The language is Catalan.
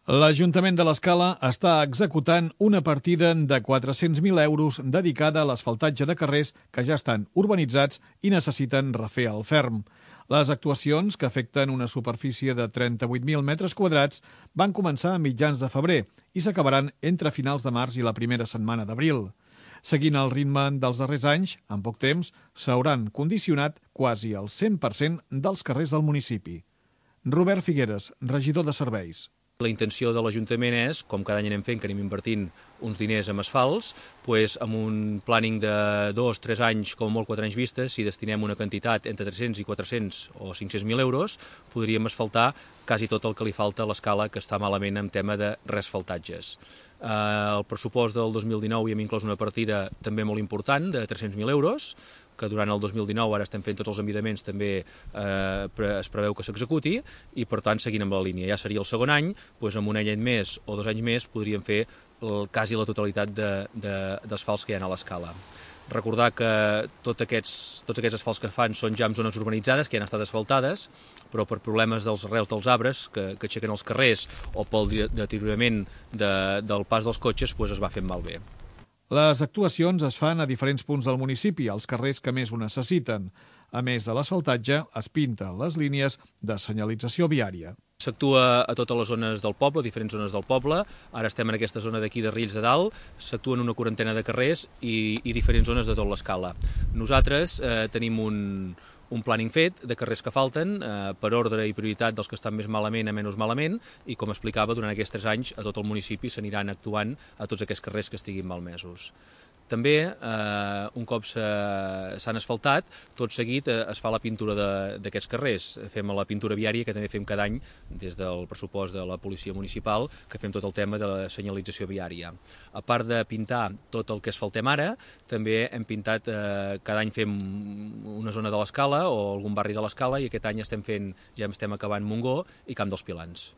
L'Ajuntament de l'Escala està executant una partida de 400.000 euros dedicada a l'asfaltatge de carrers que ja estan urbanitzats i necessiten refer el ferm. Les actuacions, que afecten una superfície de 38.000 metres quadrats, van començar a mitjans de febrer i s'acabaran entre finals de març i la primera setmana d'abril. Seguint el ritme dels darrers anys, en poc temps s'hauran condicionat quasi el 100% dels carrers del municipi. Robert Figueres, regidor de Serveis. La intenció de l'Ajuntament és, com cada any anem fent, que anem invertint uns diners en asfalts, doncs amb un planning de 2-3 anys, com molt 4 anys vistes, si destinem una quantitat entre 300 i 400 o 500.000 euros, podríem asfaltar quasi tot el que li falta a l'Escala, que està malament en tema de reasfaltatges. El pressupost del 2019 hi hem inclòs una partida també molt important, de 300.000 euros, que durant el 2019, ara estem fent tots els envidaments, també es preveu que s'executi, i per tant, seguint amb la línia. Ja seria el segon any, doncs amb un any més o 2 anys més podríem fer quasi la totalitat d'asfalts que hi ha a l'Escala. Recordar que tots aquests asfalts que fan són ja en zones urbanitzades, que ja han estat asfaltades, però per problemes dels arrels dels arbres que aixequen els carrers o pel deteriorament del pas dels cotxes, doncs es va fent malbé. Les actuacions es fan a diferents punts del municipi, als carrers que més ho necessiten. A més de l'asfaltatge, es pinten les línies de senyalització viària. S'actua a totes les zones del poble, diferents zones del poble. Ara estem en aquesta zona d'aquí de Riells de Dalt, s'actua en una quarantena de carrers i diferents zones de tot l'Escala. Nosaltres tenim un planning fet de carrers que falten per ordre i prioritat dels que estan més malament a menys malament, i com explicava, durant aquests 3 anys a tot el municipi s'aniran actuant a tots aquests carrers que estiguin malmesos. També, un cop s'han asfaltat, tot seguit es fa la pintura d'aquests carrers. Fem la pintura viària, que també fem cada any des del pressupost de la policia municipal, que fem tot el tema de la senyalització viària. A part de pintar tot el que asfaltem ara, també hem pintat, cada any fem una zona de l'Escala o algun barri de l'Escala, i aquest any ja estem acabant Montgó i Camp dels Pilans.